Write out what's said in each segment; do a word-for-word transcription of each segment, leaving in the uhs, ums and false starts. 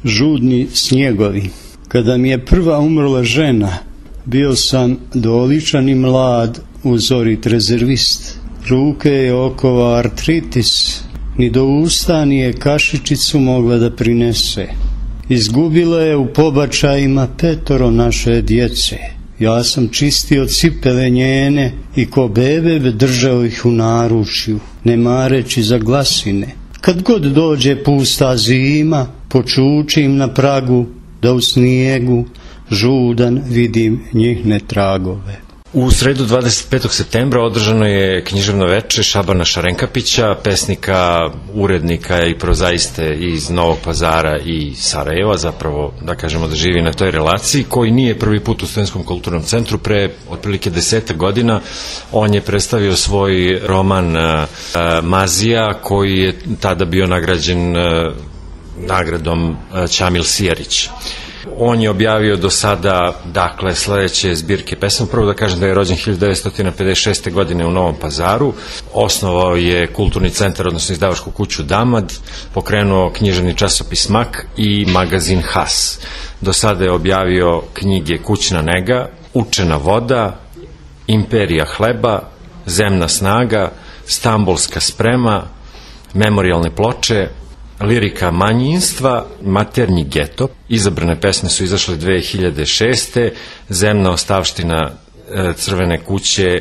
Žudni snjegovi. Kada mi je prva umrla žena, bio sam doličan i mlad, uzorit rezervist. Ruke je okova artritis, ni do usta nije kašičicu mogla da prinese. Izgubila je u pobačajima petoro naše djece. Ja sam čistio cipele njene i ko bebe držao ih u naručju, ne mareći za glasine. Kad god dođe pusta zima, počučim na pragu da u snijegu žudan vidim njihne tragove. U sredu dvadeset petog septembra održano je književno veče Šabana Šarenkapića, pesnika, urednika i prozaiste iz Novog Pazara i Sarajeva, zapravo da kažemo da živi na toj relaciji, koji nije prvi put u Studentskom kulturnom centru. Pre otprilike desetak godina on je predstavio svoj roman uh, Mazija, koji je tada bio nagrađen uh, nagradom uh, Ćamil Sijarić. On je objavio do sada, dakle, sledeće zbirke pesama. Prvo da kažem da je rođen hiljadu devetsto pedeset šeste. godine u Novom Pazaru. Osnovao je kulturni centar, odnosno izdavačku kuću Damad, pokrenuo književni časopis Mak i magazin Has. Do sada je objavio knjige Kućna nega, Učena voda, Imperija hleba, Zemna snaga, Stambulska sprema, Memorijalne ploče, Lirika manjinstva, Maternji geto. Izabrane pesme su izašle dve hiljade šeste. Zemna ostavština Crvene kuće,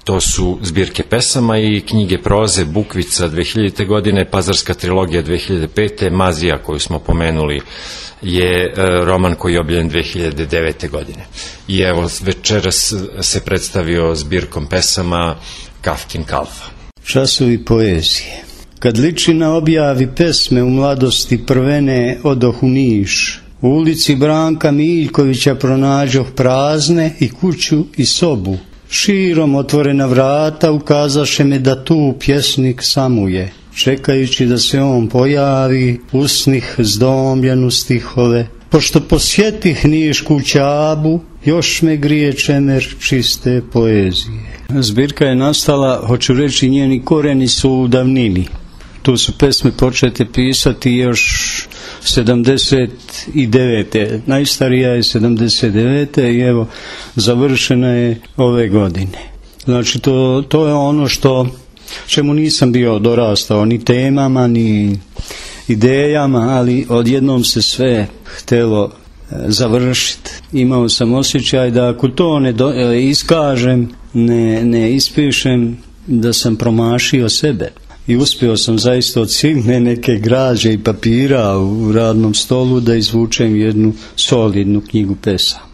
to su zbirke pesama, i knjige proze Bukvica dve hiljadite. godine, Pazarska trilogija dve hiljade pete. Mazija, koju smo pomenuli, je roman koji je objavljen dve hiljade devete. godine. I evo, večeras se predstavio zbirkom pesama Kafkin Kalfa. Časovi poezije. Kad ličina objavi pesme u mladosti prvene odoh u Niš, u ulici Branka Miljkovića pronađoh prazne i kuću i sobu. Širom otvorena vrata ukazaše me da tu pjesnik samuje. Čekajući da se on pojavi, usnih zdomljenu stihove. Pošto posjetih Nišku Ćabu, još me grije čemer čiste poezije. Zbirka je nastala, hoću reći, njeni koreni su u davnini. Tu su pesme počete pisati još sedamdeset devete. Najstarija je sedamdeset devete. i evo, završena je ove godine. Znači, to, to je ono što, čemu nisam bio dorastao, ni temama, ni idejama, ali odjednom se sve htelo završiti. Imao sam osjećaj da ako to ne do, iskažem, ne, ne ispišem, da sam promašio sebe. I uspio sam zaista od silne neke građe i papira u radnom stolu da izvučem jednu solidnu knjigu pesama.